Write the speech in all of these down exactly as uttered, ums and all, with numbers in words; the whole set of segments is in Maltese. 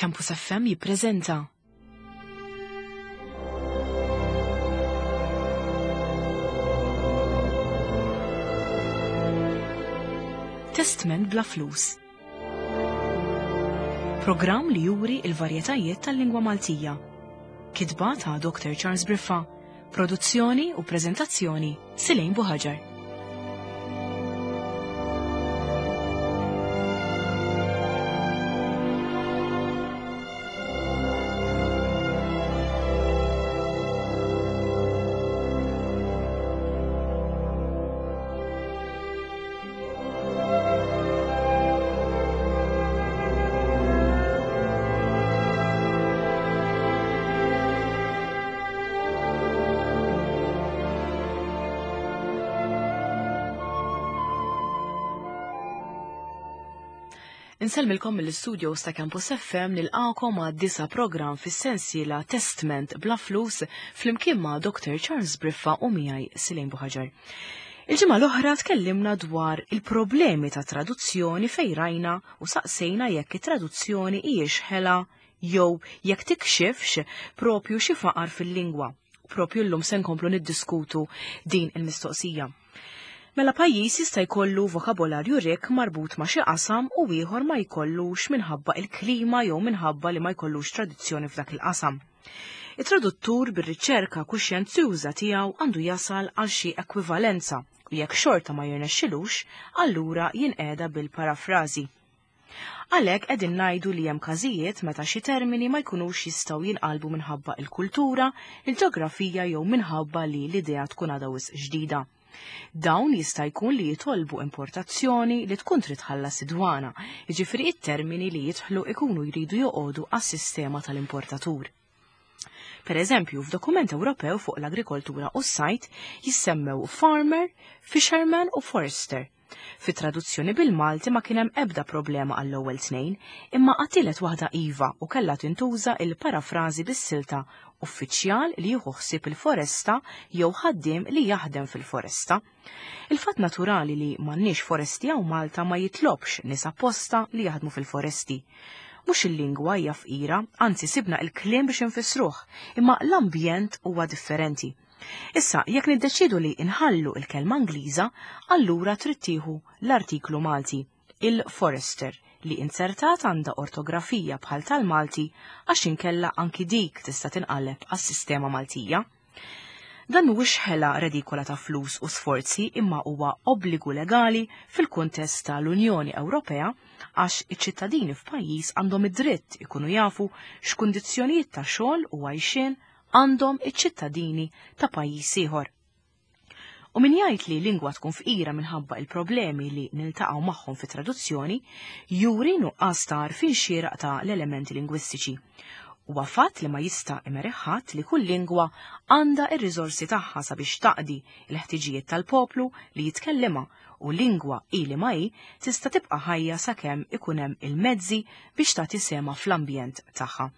Campus F M jippreżenta Testment bla flus. Programm li juri il-varjetajiet tal-lingwa Maltija. Kitba ta' Doctor Charles Briffa. Produzzjoni u preżentazzjoni Silejn Buħaġar. Insellmilkom mill-istudio ta' Campus F M nilqakom għad disa program fis-sensiela Testment bla flus flimkien ma' Doctor Charles Briffa u miegħi Silejn Buħaġar. Il-ġimgħa l-oħra tkellimna dwar il-problemi ta' traduzzjoni fejn rajna u saqsejna jekk it-traduzzjoni hijiex ħela jew jekk tikxifx propju xi faqar fil-lingwa. Propju llum se nkomplu niddiskutu din il-mistoqsija. Mela pajjiż jista' jkollu vokabolarju rikk marbut ma' xi qasam u ieħor ma jkollux minħabba il-klima jew minħabba li ma jkollux tradizzjoni f'dak il-qasam. It-traduttur bir-riċerka kuxjenzjuża tiegħu għandu jasal għal xi ekwivalenza u jekk xorta ma jirnexxilux, allura jinqeda bil-parafrażi. Għalhekk qegħdin ngħidu li hemm każijiet meta xi termini ma jkunux jistgħu jinqalbu minħabba il-kultura, il-ġeografija jew minħabba li l-idea tkun għadha wisq ġdida. Dawn jista' jkun li jitolbu importazzjoni li tkun trid tħallas id-dwana, jiġifieri it-termini li jidħlu ikunu jridu joqogħdu għas-sistema tal-importatur. Per eżempju, f'dokument Ewropew fuq l-agrikoltura u s-sajt jissemmew farmer, fisherman u forester. Fi traduzzjoni bil-Malti ma kien hemm ebda problema għall-ewwel tnejn, imma għatielet waħda iva u kellha tintuża il-parafrażi bis-silta uffiċjal li jieħu ħsieb il-foresta jew ħaddiem li jaħdem fil-foresta. Il-fatt naturali li m'għandniex foresti hawn Malta ma jitlobx nies apposta li jaħdmu fil-foresti. Mhux il-lingwa hija fqira, anzi sibna il-kliem biex infissruh, imma l-ambjent huwa differenti. Issa, jekk niddeċidu li nħallu il-kelma Ingliża, allura trid tieħu l-artiklu Malti, il-forester, li insertat għandha ortografija bħal tal-Malti għax inkella anki dik tista' tinqaleb għas-sistema Maltija. Dan mhuwiex ħela redikola ta' flus u sforzi imma huwa obbligu legali fil-kuntest tal-Unjoni Ewropea għax iċ-ċittadini f'pajjiż għandhom id-dritt ikunu jafu x'kundizzjonijiet ta' xogħol u għajxien għandhom iċ-ċittadini ta' pajjiż ieħor. U min jgħid li lingwa tkun fqira minħabba il-problemi li niltaqgħu magħhom fi traduzzjoni, juri nuqqas ta' għarfien xieraq ta' l-elementi lingwistiċi. Huwa fatt li ma jista' imerih ħadd li kull lingwa għandha r-riżorsi tagħha sabiex taqdi l-ħtiġijiet tal-poplu li jitkellimha u lingwa hi li ma hi tista' tibqa' ħajja sakemm ikun hemm il-mezzi biex tagħti sema fl-ambjent tagħha.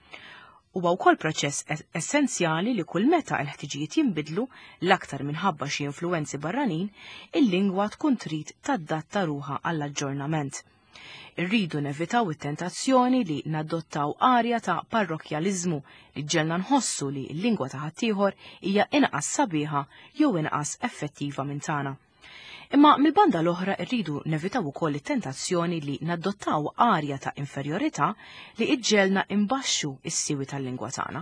Huwa wkoll proċess es-, essenzjali li kull meta l-ħtiġijiet jinbidlu l-aktar minħabba xi influwenzi barranin, il-lingwa tkun trid tadatta ruħha għall-aġġornament. Irridu nevitaw it-tentazzjoni li nadottaw arja ta' parrokjaliżmu li ġelna nħossu li l-lingwa ta' ħaddieħor hija inqas sabiħa jew inqas effettiva minn tagħna. Imma mill-banda l-oħra rridu nevitaw ukoll it-tentazzjoni li nadottaw arja ta' inferjorità li iġġelna imbaxxu s-siwi tal-lingwa tagħna.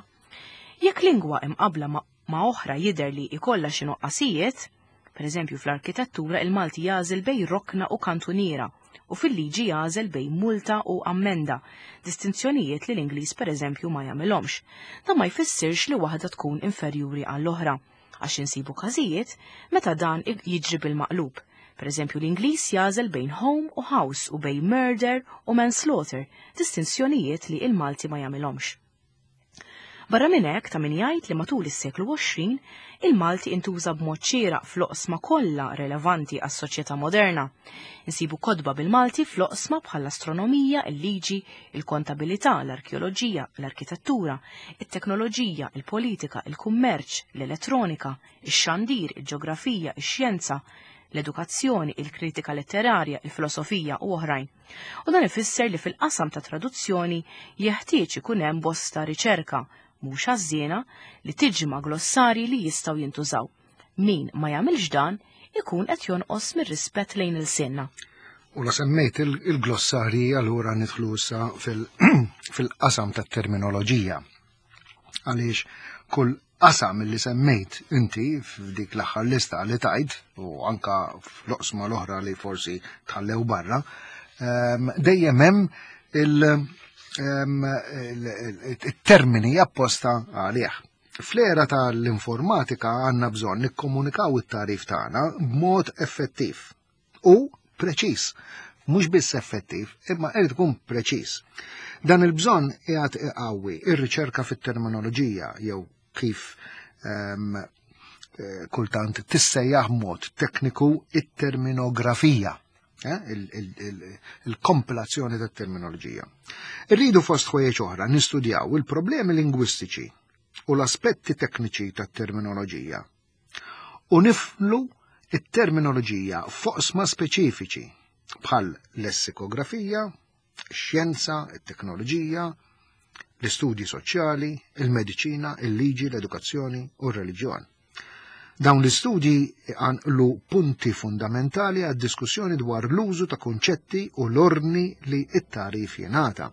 Jekk lingwa imqabbla ma', ma' oħra jidher li jkollha xi nuqqasijiet, per eżempju fl-arkitettura il-Malti jagħżel bejn rokna u kantuniera u fil-liġi jagħżel bejn multa u ammenda, distinzjonijiet li l-Ingliż per eżempju ma jagħmilhomx. Dan ma jfissirx li waħda tkun inferjuri għall-oħra, għax insibu każijiet meta dan jiġri bil-maqlub. Per eżempju, l-Ingliż jagħżel bejn home u house u bejn murder u manslaughter, distinzjonijiet li il-Malti ma jagħmilhomx. Barra minn hekk ta' min jgħid li matul is-seklu għoxrin il-Malti intuża b'mod xieraq fl-oqsma kollha relevanti għas-soċjetà moderna. Insibu kotba bil-Malti fl-oqsma bħall-astronomija, il-liġi, il-kontabilità, l-arkeoloġija, l-arkitettura, it-teknoloġija, il-politika, il-kummerċ, l-elettronika, ix-xandir, il-ġeografija, ix-xjenza, l-edukazzjoni, il-kritika letterarja, il-filosofija u oħrajn. U dan ifisser li fil-qasam ta' traduzzjoni jeħtieġ ikun hemm bosta riċerka, mhux għażżiena, li tiġma' glossarji li jistgħu jintużaw. Min ma jagħmilx dan ikun qed jonqos mir-rispett lejn il-sinna. U la semmejt il-glossarji, allura nidħlu issa fil-qasam tat-terminoloġija. Għaliex kull qasam li semmejt inti f'dik l-aħħar lista li tajt, u anka fl-oqsma l-oħra li forsi tħallew barra, dejjem hemm il-termini apposta għalih. Fl-era tal-informatika għandna bżonn nikkomunikaw it-tarif tagħna b'mod effettiv u preċiż. Mhux biss effettiv, imma irid ikun preċiż. Dan il-bżonn qiegħed iqawwi ir-riċerka fit-terminoloġija jew kif um, kultant tissejjaħ mod tekniku it-terminografija, eh? il-kompilazzjoni tat-terminoloġija. Irridu fost ħwejjeġ oħra nistudjaw il-problemi lingwistiċi u l-aspetti tekniċi tat-terminoloġija u niflu it-terminoloġija f'oqsma speċifiċi bħal lessikografija, xjenza, it-teknoloġija, l-istudji soċjali, il-mediċina, il-liġi, l-edukazzjoni u r-reliġjon. Dawn l-istudji għanqlu punti fundamentali għad diskussjoni dwar l-użu ta' konċetti u l-ordni li it-tarif jingħata.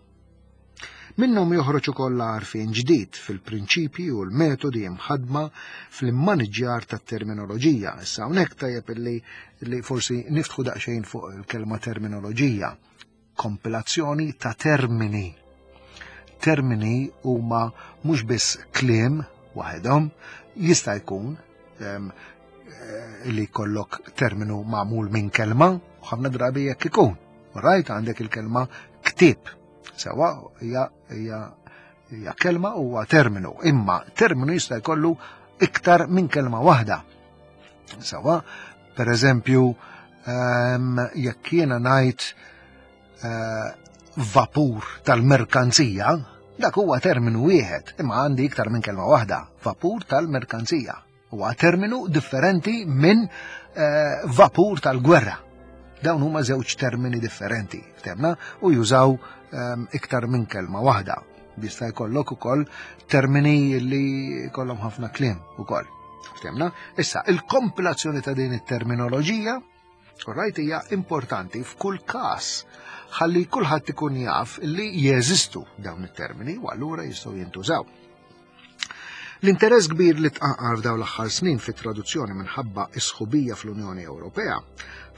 Minnhom joħroġ ukoll għarfien ġdid fil-prinċipji u l-metodi imħadma fl-immaniġġjar tat-terminoloġija. Issa hawnhekk tajjeb illi li forsi niftħu daqsxejn fuq il-kelma terminoloġija. Kompilazzjoni ta' termini. Termini huma mhux biss kliem waħedhom, jista' jkun li kollok terminu magħmul minn kelma, u ħafna drabi jekk ikun. Rajt għandek il-kelma ktieb. Sewa hija hija hija kelma huwa terminu, imma terminu jista' jkollu iktar minn kelma waħda. Sewa, per eżempju, jekk jiena ngħid vapur tal-merkanzija, dak huwa terminu wieħed, imma għandi iktar minn kelma waħda, vapur tal-merkanzija. Huwa terminu differenti minn vapur tal-gwerra. Dawn huma żewġ termini differenti, ftemna, u jużaw iktar minn kelma waħda. Jista' jkollok ukoll termini li jkollhom ħafna kliem ukoll. Ftemna? Issa, il-kompilazzjoni ta' din it-terminoloġija, rajt, hija importanti f'kull każ ħalli kulħadd ikun jaf li jeżistu dawn it-termini u allura jistgħu jintużaw. L-interess kbir li tqanqal f'dawn l-aħħar snin fit-traduzzjoni minħabba is-sħubija fl-Unjoni Ewropea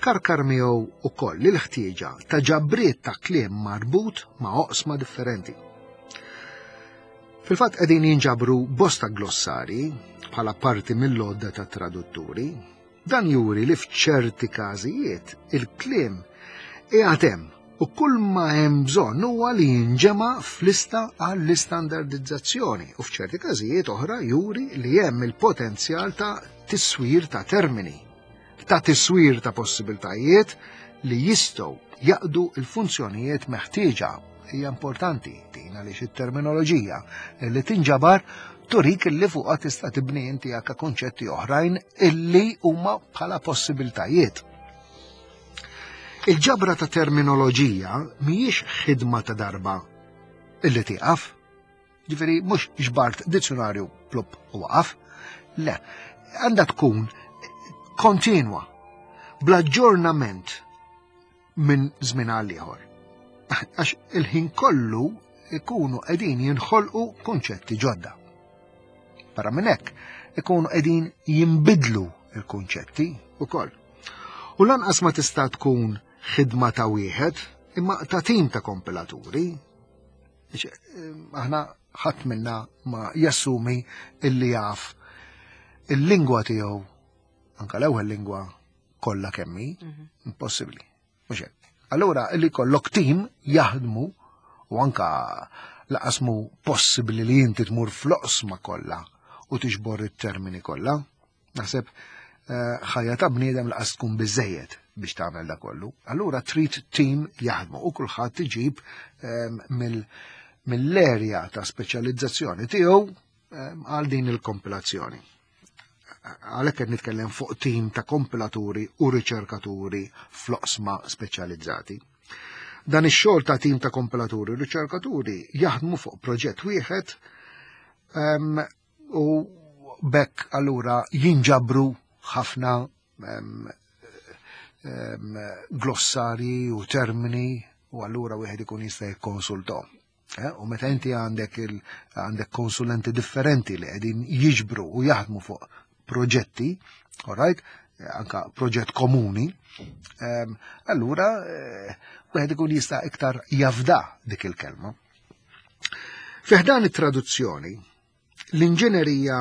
karkar miegħu ukoll il-ħtieġa ta' ġabriet ta' kliem marbut ma' oqsma differenti. Fil-fatt qegħdin jinġabru bosta glossari bħala parti mill-lodda ta' tradutturi. Dan juri li f'ċerti każijiet il-kliem qiegħed hemm u kull ma hemm bżonn huwa li jinġema' f'lista għall-istandardizzazzjoni u f'ċerti każijiet oħra juri li hemm il-potenzjal ta' tiswir ta' termini, ta' tiswir ta' possibiltajiet li jistgħu jaqdu il-funzjonijiet meħtieġa. Hija importanti din għaliex it-terminoloġija li tinġabar turik illi fuqha tista' tibni inti anke konċetti oħrajn illi huma bħala possibiltajiet. Il-ġabra ta' terminoloġija mhijiex ħidma ta' darba illi tieqaf. Ġifieri mhux ġbart dizzjonarju plupp u waqaf. Le, għandha tkun kontinwa, bl-aġġornament minn żmien għal ieħor. Għax il-ħin kollu ikunu qegħdin jinħolqu kunċetti ġodda. Barra minn hekk, ikunu qegħdin jinbidlu il-kunċetti ukoll. U lanqas ma tista' tkun ħidma ta' wieħed, imma ta' tim ta' kompilaturi. Aħna ħadd minna ma jassumi illi jaf il-lingwa tiegħu, anka l-ewwel lingwa kollha kemm hi, impossibbli. Mhux hekk. Allura illi kollok tim jaħdmu u anka laqasmu possibbli li inti tmur fl-oqsma kollha u tiġbor it-termini kollha. Naħseb ħajja ta' bniedem laqas tkun biżejjed biex tagħmel da kollu. Allura trid tim jaħdmu u kulħadd iġib mill-erja ta' speċjalizzazzjoni tiegħu għal din il-kompilazzjoni. Għalhekk qed nitkellem fuq tim ta' kompilaturi u riċerkaturi fl-oqsma speċjalizzati. Dan ix-xogħol ta' tim ta' kompilaturi u riċerkaturi jaħdmu fuq proġett wieħed um, u bekk allura jinġabru ħafna um, um, glossarji u termini u allura wieħed ikun jista' jikkonsultahom. Eh, u meta inti għandek għandek konsulenti differenti li qegħdin jiġbru u jaħdmu fuq proġetti, all right, anka proġett komuni, um, allura eh, wieħed ikun jista' iktar jafda dik il-kelma. Fi ħdan it-traduzzjoni, l-inġinerija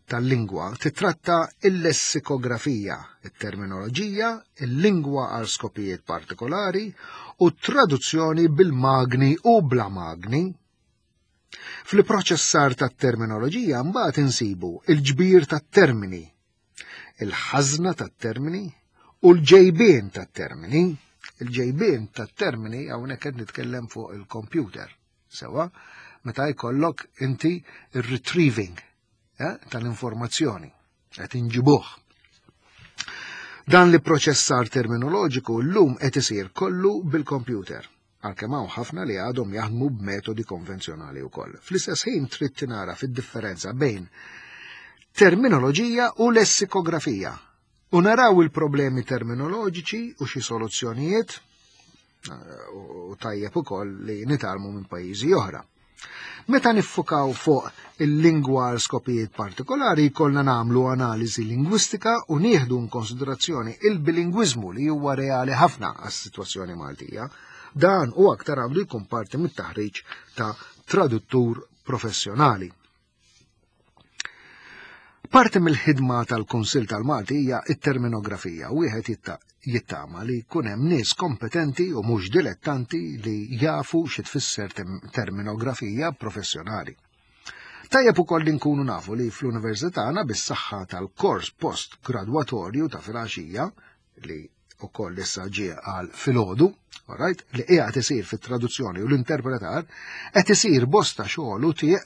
tal-lingwa titratta il-lessikografija, il-terminoloġija, il-lingwa għal skopijiet partikolari u traduzzjoni bil-magni u bla magni. Fil-proċessar tat-terminoloġija mbagħad insibu il-ġbir tat-termini, il-ħażna tat-termini u l-ġejbien tat-termini. Il-ġejbien tat-termini hawnhekk qed nitkellem fuq il-computer. Sewa, meta jkollok inti il-retrieving eh, tal-informazzjoni, qed inġibuh. Dan li proċessar terminoloġiku llum qed isir kollu bil-computer, għalkemm hawn ħafna li għadhom jaħdmu b'metodi konvenzjonali wkoll. Fl-istess ħin trid tinara fid-differenza bejn terminoloġija u lessikografija. U naraw il-problemi terminoloġiċi u xi soluzzjonijiet u tajjeb ukoll li nitgħallmu minn pajjiżi oħra. Meta niffukaw fuq il-lingwa għal skopijiet partikolari, jkollna nagħmlu analiżi lingwistika u nieħdu konsiderazzjoni il-bilingwiżmu li huwa reali ħafna għas-sitwazzjoni Maltija. Dan u aktar għandu jkun parti mit-taħriġ ta' traduttur professjonali. Parti mill-ħidma tal-Kunsill tal-Malti hija it-terminografija u wieħed jittama li jkun hemm nies kompetenti u mhux dilettanti li jafu xi tfisser terminografija professjonali. Tajjeb ukoll li nkunu nafu li fl-università għandna bis-saħħa tal-kors post-gradwatorju ta' filgħaxija li ukoll issa ġie għal filgħodu, right, li qiegħed isir fit-traduzzjoni u l-interpretar, qed isir bosta xogħol u tieq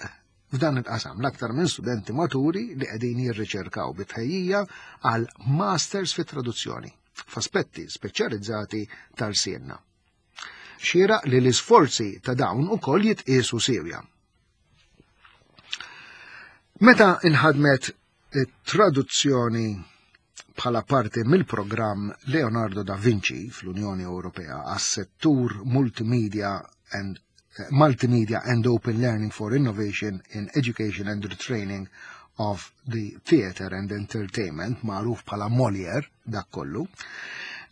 f'dan il-qasam l-aktar minn studenti maturi li qegħdin jirriċerkaw bitħejjija għal masters fit-traduzzjoni f'aspetti speċjalizzati tal-sienna. Xieraq li l-isforzi ta' dawn ukoll jitqiesu siewja. Meta inħadmet traduzzjoni bħala parti mill-programm Leonardo da Vinci fl-Unjoni Ewropea għas-settur Multimedia and Multimedia and Open Learning for Innovation in Education and Retraining of the Theatre and Entertainment, magħruf bħala Molière, dak kollu,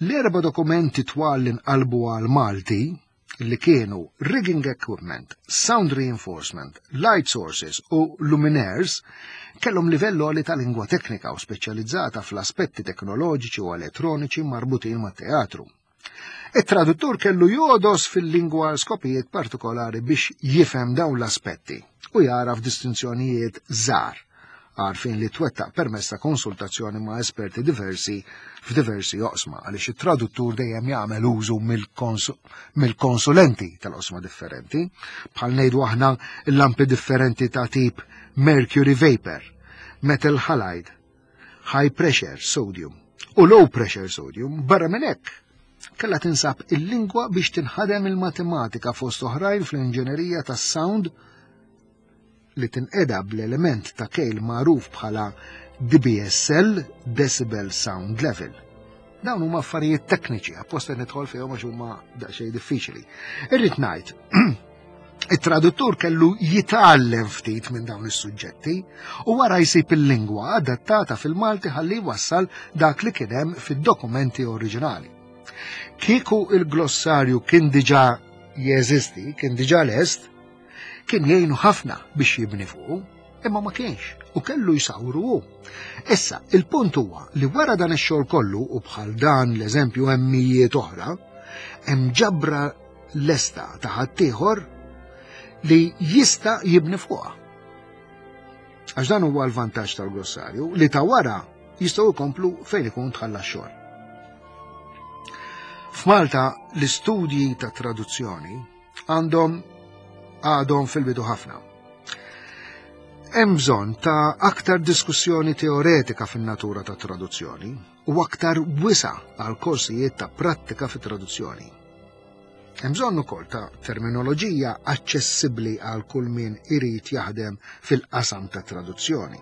l-erba dokumenti twal li nqalbu għal Malti li kienu rigging equipment, sound reinforcement, light sources u luminaires kellhom livell għoli ta' lingwa teknika u speċjalizzata fl-aspetti teknoloġiċi u elettroniċi marbutin mat-teatru. Il-traduttur kellu jogħdos fil-lingwa skopijiet partikolari biex jifhem dawn l-aspetti u jaraf distinzjonijiet żgħar, għarfien li twettaq permezz ta' konsultazzjoni ma' esperti diversi f'diversi oqsma, għaliex it-traduttur dejjem jagħmel użu mill-konsulenti tal-oqsma differenti, bħal ngħidu aħna l-lampi differenti ta' tip mercury vapor, metal halide, high pressure sodium u low pressure sodium. Barra minn hekk kella tinsab il-lingwa biex tinħadem il-matematika fost oħrajn fl-inġenerija tas-sound li tinqeda bl-element ta' kejl magħruf bħala D B S L, Decibel Sound Level. Dawn huma affarijiet tekniċi, apposta nidħol fihom għax huma daqsxejn diffiċli. Irrid ngħid, it-traduttur kellu jitgħallem ftit minn dawn is-suġġetti u wara jsib il-lingwa adattata fil-Malti ħalli jwassal dak li kien hemm fid-dokumenti oriġinali. Kieku il-glossarju kien diġà jeżisti, kien diġà lest, kien jgħinu ħafna biex jibni fuqu, imma ma kienx u kellu jsawru hu. Issa, il-punt huwa li wara dan ix-xogħol kollu u bħal dan l-eżempju hemm mijiet oħra, hemm ġabra lesta ta' ħaddieħor li jista' jibni fuqha. Għax dan huwa l-vantaġġ tal-glossarju li ta' wara jistgħu jkomplu fejn ikun tħalla x-xogħol. F'Malta l-istudji ta' traduzzjoni għandhom għadhom fil-bidu ħafna. Hemm bżonn ta' aktar diskussjoni teoretika fin-natura ta' traduzzjoni u aktar wisa' għal korsijiet ta' prattika fit-traduzzjoni. Hemm bżonn ukoll ta' terminoloġija aċċessibbli għal kull min irid jaħdem fil-qasam ta' traduzzjoni.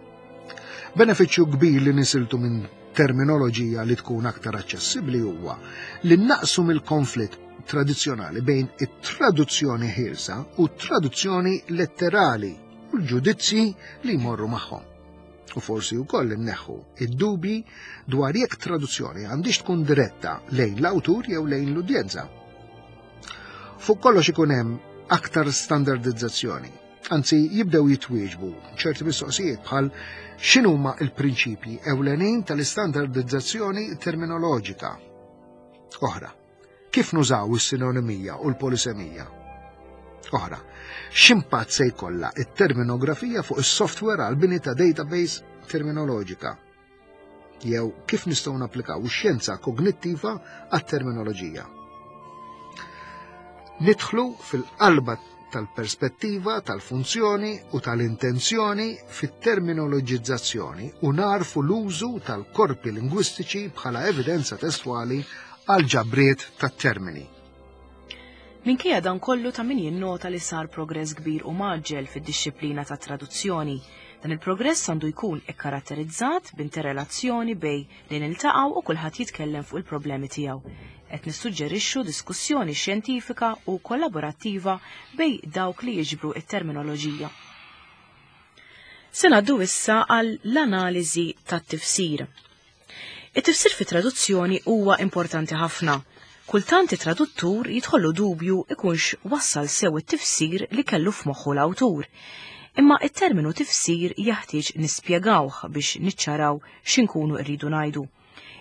Benefiċċju kbir li nisiltu minn terminoloġija li tkun aktar aċċessibbli huwa li naqsu mill-konflitt tradizzjonali bejn it-traduzzjoni ħielsa u t-traduzzjoni letterali u l-ġudizzji li jmorru magħhom. U forsi wkoll inneħħu id-dubji dwar jekk traduzzjoni għandix tkun diretta lejn l-awtur jew lejn l-udjenza. Fuq kollox ikun hemm aktar standardizzazzjoni, anzi jibdew jitwieġbu ċerti mistoqsijiet bħal x'inhuma l-prinċipji ewlenin tal-istandardizzazzjoni terminoloġika. Oħra, kif nużaw is-sinonimija u l-polisemija? Oħra, x'impatt se jkollha it-terminografija fuq is-software għal bini ta' database terminoloġika? Jew kif nistgħu napplikaw ix-xjenza kognittiva għat-terminoloġija? Nidħlu fil-qalba tal-perspettiva, tal-funzjoni u tal-intenzjoni fit-terminoloġizzazzjoni u narfu l-użu tal-korpi lingwistiċi bħala evidenza testwali għal ġabriet tat-termini. Minkejja dan kollu ta' min jinnota li sar progress kbir u mgħaġġel fid-dixxiplina ta' traduzzjoni. Dan il-progress għandu jkun ikkaratterizzat b'interrelazzjoni bejn li niltaqgħu u kulħadd jitkellem fuq il-problemi tiegħu. Qed nissuġġerixxu diskussjoni xjentifika u kollaborattiva bejn dawk li jiġbru it-terminoloġija. Se ngħaddu issa għal l-analiżi tat-tifsir. It-tifsir fi traduzzjoni huwa importanti ħafna. Kultant it-traduttur jidħollu dubju ikunx wassal sew it-tifsir li kellu f'moħħu l-awtur. Imma it-terminu tifsir jeħtieġ nispjegawh biex niċċaraw x'inkunu rridu ngħidu.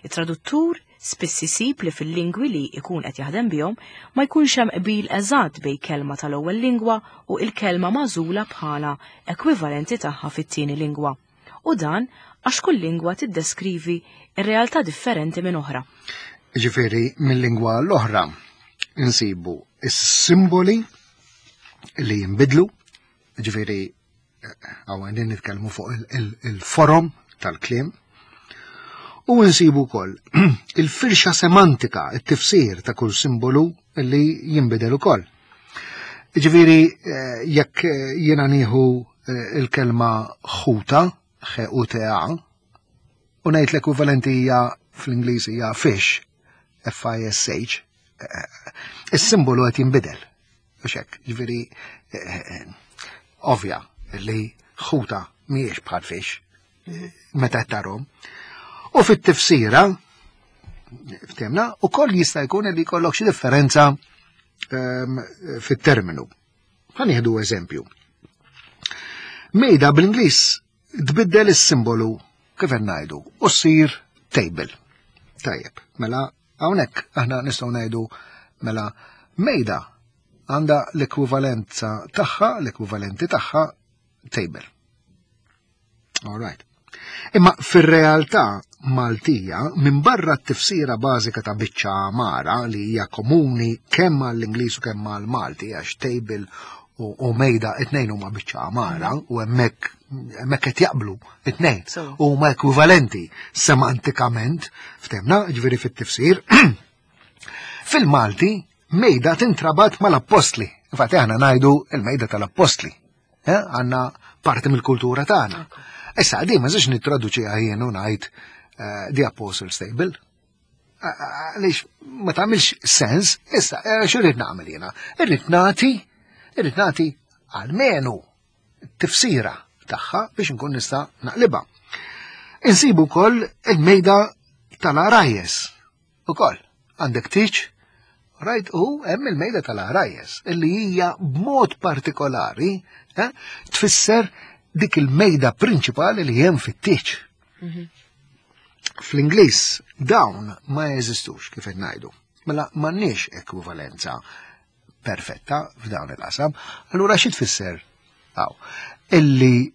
It-traduttur spiss isib li fil-lingwi li jkun qed jaħdem bihom ma jkunx hemm qbil eżatt bejn kelma tal-ewwel lingwa u l-kelma magħżula bħala ekwivalenti tagħha fit-tieni lingwa. U dan għax kull lingwa tiddeskrivi r-realtà differenti minn oħra. Ġifieri mill-lingwa l-oħra insibu is-simboli li jinbidlu, ġifieri hawn qegħdin nitkellmu fuq il-forom tal-kliem, u nsibu wkoll il-firxa semantika, it-tifsir ta' kull simbolu li jinbidel ukoll. Ġifieri jekk jiena nieħu il-kelma ħuta, H U T A, u ngħid l-ekwivalenti hija fl-Ingliż hija fish, F I S H, is-simbolu qed jinbidel. U xek, ġifieri ovvja li ħuta mhijiex bħal fish meta qed tarhom. U fit-tifsira, ftemna, ukoll jista' jkun li jkollok xi differenza fit-terminu. Ħa nieħdu eżempju. Mejda bl-Ingliż tbiddel is-simbolu kif qed ngħidu u ssir table. Tajjeb, mela hawnhekk aħna nistgħu ngħidu mela mejda għandha l-ekwivalenza tagħha, l-ekwivalenti tagħha table. All right. Imma fir-realtà Maltija, minn barra t-tifsira bażika ta' biċċa għamara li hija komuni kemm għall-Ingliż u kemm għall-Malti, għax table u, u mejda it-tnejn huma biċċa għamara u hemmhekk hemmhekk qed jaqblu it-tnejn u huma ekwivalenti semantikament, ftemna, ġifieri fit-tifsir. Fil-Malti mejda tintrabat mal-appostli. Infatti aħna ngħidu il-mejda tal-appostli. Eh, għandna parti mill-kultura tagħna. Issa di ma żiex nittraduċiha jien u ngħid the Apostles Table. Għaliex ma tagħmilx sens, issa x'irrid nagħmel jiena? Irrid nagħti, irrid nagħti almenu tifsira tagħha biex nkun nista' naqlibha. Insibu wkoll il-mejda tal-għarajjes. Ukoll għandek tiġ, right, u hemm il-mejda tal-għarajjes illi hija b'mod partikolari eh, tfisser dik il-mejda prinċipali li hemm fit-tieġ. Fl-Ingliż dawn ma jeżistux kif qed ngħidu. Mela m'għandniex ekwivalenza perfetta f'dawn il-qasam. Allura xi tfisser? Aw, illi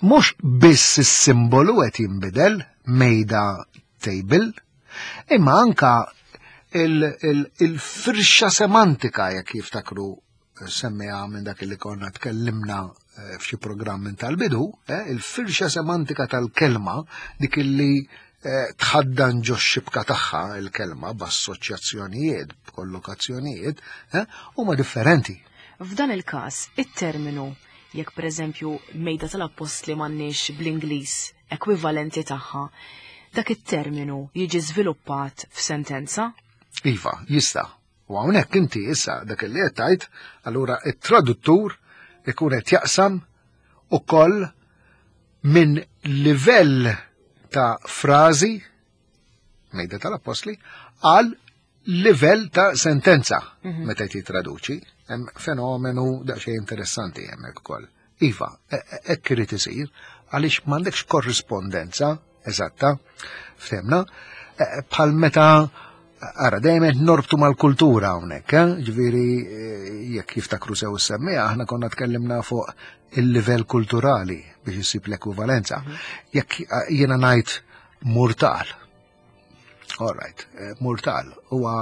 mhux biss is-simbolu qed jinbidel mejda table, imma anka il-firxa semantika jekk jiftakru semmiha minn dak li konna tkellimna eh, f'xi programm minn tal-bidu, eh, il-firxa semantika tal-kelma dik illi eh, tħaddan ġo xibka tagħha il-kelma b'assoċjazzjonijiet, b'kollokazzjonijiet, eh, huma differenti. F'dan il-każ, it-terminu jekk pereżempju mejda tal-appostli m'għandniex bl-Ingliż ekwivalenti tagħha, dak it-terminu jiġi żviluppat f'sentenza? Iva, jista'. U hawnhekk inti issa dak li qed tgħid, allura it-traduttur ikun qed jaqsam ukoll minn livell ta' frażi mejda tal-appostli għal livell ta' sentenza mhm. meta jitraduċi. Hemm fenomenu daqsxejn interessanti hemmhekk ukoll. Iva, e, e, hekk irid isir għaliex m'għandekx korrispondenza eżatta, ftemna, e, bħal meta Ara, dejjem norbtu mal-kultura hawnhekk, eh? Ġifieri jekk jiftakru sew semmija, aħna konna tkellimna fuq il-livell kulturali biex isib l-ekwivalenza. Mhm. Jekk jiena ngħid murtal. All right, murtal huwa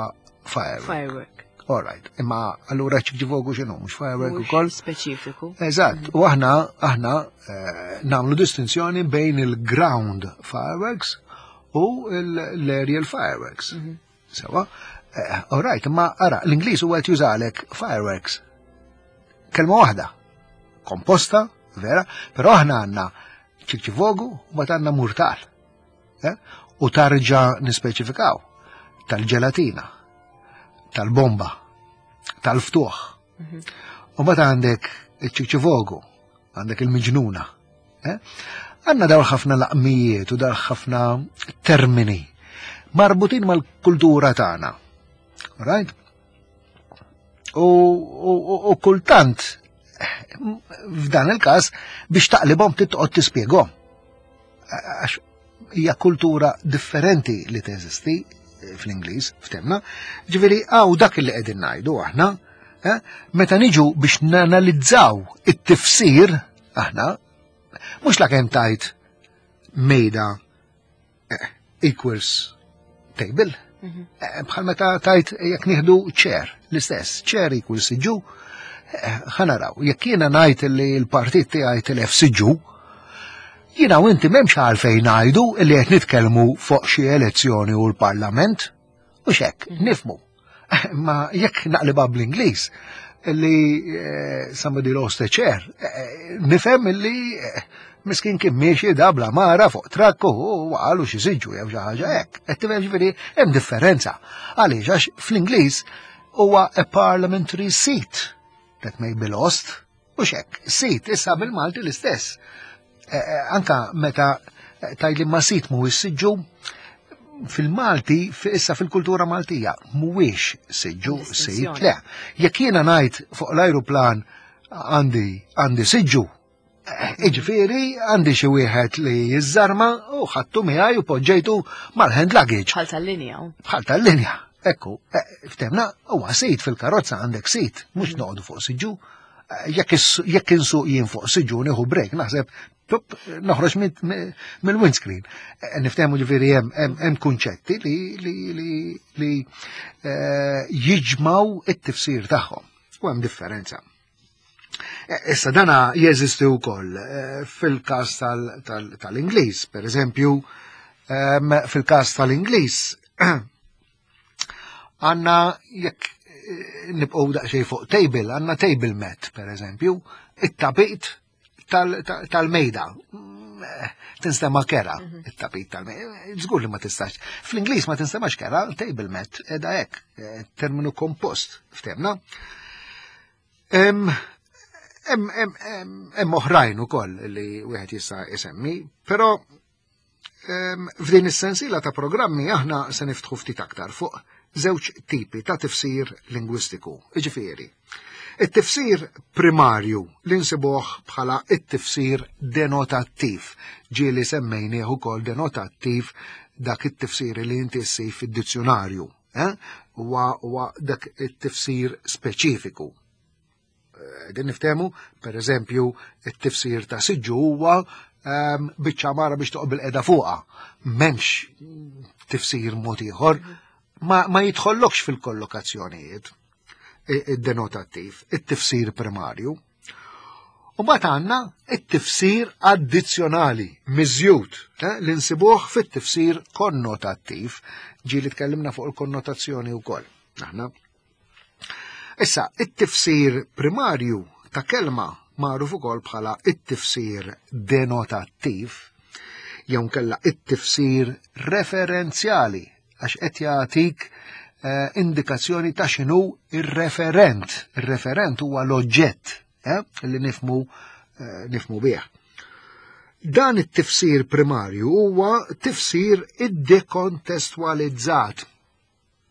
firework. Firework. All right, imma allura ċikċivogu x'inhu, mhux firework ukoll? Speċifiku. Eżatt, u aħna aħna eh, nagħmlu distinzjoni bejn il-ground fireworks u l-aerial fireworks. Mhm. Sewa, eh, all right, imma ara, l-Ingliż huwa qed jużalek fireworks. Kelma waħda, komposta, vera, però aħna għandna ċikċivogu u mbagħad għandna murtal. Eh? U tarġa nispeċifikaw tal-ġelatina, tal-bomba, tal-ftuħ. Mhm. U mbagħad għandek iċ-ċikċivogu, għandek il-miġnuna. Eh? Għandna dawn ħafna laqmijiet u dawn ħafna termini marbutin mal-kultura tagħna. Right? U, u, u kultant f'dan il-każ biex taqlibhom titqgħod tispjegahom. Għax hija kultura differenti li teżisti fl-Ingliż, ftemna. Ġifieri hawn dak li qegħdin ngħidu aħna, eh, meta niġu biex nanalizzaw it-tifsir aħna, mhux la kemm tajt mejda eh, equals table. Mhm. Eh, bħal meta tajt jekk nieħdu chair, l-istess, chair equals siġġu, ħa naraw, jekk jiena ngħid li l-partit tiegħi tilef siġġu, jiena u inti m'hemmx għalfejn ngħidu li qed nitkellmu fuq xi elezzjoni u l-Parlament, u xek, mhm. nifmu. Ma jekk naqliba bl-Ingliż, li eh, somebody lost a chair, eh, nifhem li eh, miskin kien miexi dabla mara fuq trakku u għalu xi siġġu jew xi ħaġa hekk. Qed tifhem ġifieri hemm differenza. Għaliex għax fl-Ingliż huwa a parliamentary seat that may be lost u xek, seat issa bil-Malti l-istess. Anka meta tajli ma seat mhuwiex siġġu, fil-Malti, issa fil-kultura Maltija, mhuwiex siġġu, seat, le. Jekk jiena ngħid fuq l-ajruplan għandi għandi siġġu, iġifieri għandi xi wieħed li jiżżarma u ħadtu miegħi u poġġejtu mal-hand luggage. Bħal tal-linja. Bħal tal-linja. Ekku, ftemna, huwa seat fil-karozza għandek seat, mhux noqogħdu fuq siġġu. Jekk insuq jien fuq siġġu nieħu break, naħseb tup, noħroġ mill-windscreen. Niftehmu ġifieri hemm kunċetti li li li li jiġmaw it-tifsir tagħhom. U hemm differenza. Issa dana jeżisti wkoll fil-każ tal-Ingliż, per eżempju, fil-każ tal-Ingliż għandna jekk nibqgħu daqsxejn fuq table, għandna table mat, per eżempju, it-tapit tal-mejda. Tinstema kera, mhm. it-tapit tal-mejda. Żgur li ma tistax. Fl-Ingliż ma tinstemax kera, table mat, edha hekk, terminu kompost, ftemna. Hemm oħrajn ukoll li wieħed jista' isemmi, però f'din is-sensiela ta' programmi aħna se niftħu ftit aktar fuq żewġ tipi ta' tifsir lingwistiku. Iġifieri, it-tifsir primarju li nsibuh bħala it-tifsir denotattiv, ġieli semmejnieh ukoll denotattiv dak it-tifsir li inti ssib fid-dizzjonarju, eh? Huwa dak it-tifsir speċifiku. Din niftehmu, per eżempju, it-tifsir ta' siġġu huwa um, biċċa mara biex toqgħod bil-qeda fuqha. M'hemmx tifsir mod ieħor, ma, ma jidħollokx fil-kollokazzjonijiet id-denotattiv, it-tifsir primarju. U mbagħad għandna it-tifsir addizzjonali, miżjud, eh, li nsibuh fit-tifsir konnotattiv, ġieli tkellimna fuq il-konnotazzjoni wkoll. Aħna. Issa, it-tifsir primarju ta' kelma magħruf ukoll bħala it-tifsir denotattiv, jew kella it-tifsir referenzjali, għax qed jagħtik eh, indikazzjoni ta' x'inhu ir-referent. Ir-referent huwa l-oġġett eh, li nifmu eh, nifmu bih. Dan it-tifsir primarju huwa tifsir iddekontestualizzat,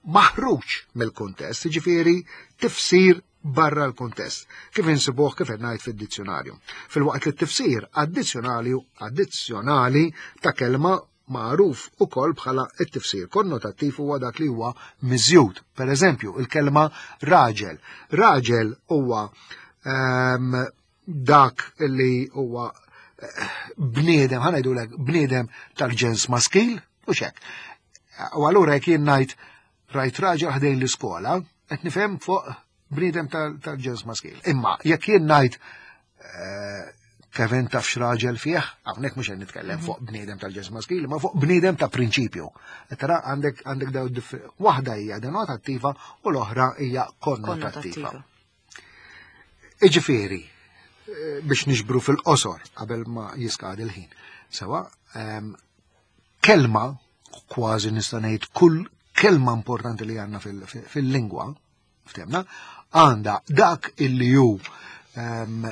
maħruġ mill-kuntest, jiġifieri tifsir barra l-kuntest, kif insibuh kif qed ngħid fid-dizzjonarju. Filwaqt li t-tifsir addizzjonali addizzjonali ta' kelma magħruf ukoll bħala t-tifsir konnotattiv huwa dak li huwa miżjud. Per eżempju, il-kelma raġel. Raġel huwa ehm, dak li huwa eh, bniedem, ħa ngħidulek bniedem tal-ġens maskil, u xek. U allura jekk jien ngħid rajt raġel ħdejn l-iskola, qed nifhem fuq bniedem tal-ġens maskil. Imma jekk jien ngħid eh, Kevin taf x'raġel fih, hawnhekk mhux qed nitkellem fuq bniedem tal-ġens maskil, ma fuq bniedem ta' prinċipju. Tara għandek għandek daw waħda hija denotattiva u l-oħra hija konnotattiva. Iġifieri, eh, biex niġbru fil-qosor qabel ma jiskadi l-ħin. Sewa, ehm, kelma, kważi nista' ngħid kull kelma importanti li għandna fil-lingwa, ftemna, għandha dak illi hu ehm,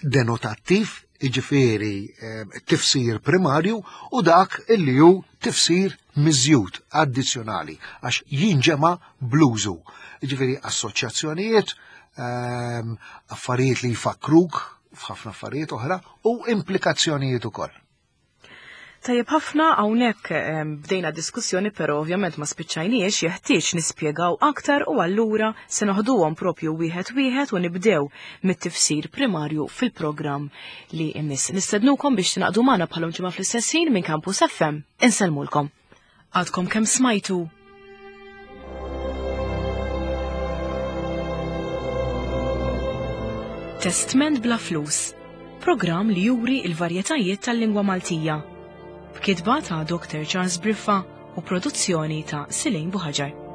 denotattiv, iġifieri ehm, tifsir primarju, u dak illi hu tifsir miżjud addizzjonali, għax jinġema bl-użu. Iġifieri assoċjazzjonijiet, ehm, affarijiet li jfakkruk f'ħafna affarijiet oħra u implikazzjonijiet ukoll. Tajjeb ħafna hawnhekk ehm, bdejna diskussjoni però ovvjament ma spiċċajniex, jeħtieġ nispjegaw aktar u allura se noħduhom propju wieħed wieħed u nibdew mit-tifsir primarju fil-programm li jmiss. Nistednukom biex tingħaqdu magħna bħalhom ġimgħa fl-istess ħin minn Campus F M. Insellmulkom. Għadkom kemm smajtu Testment bla flus, programm li juri il-varjetajiet tal-lingwa Maltija. B'kitba ta' Doktor Charles Briffa u produzzjoni ta' Silejn Buħaġar.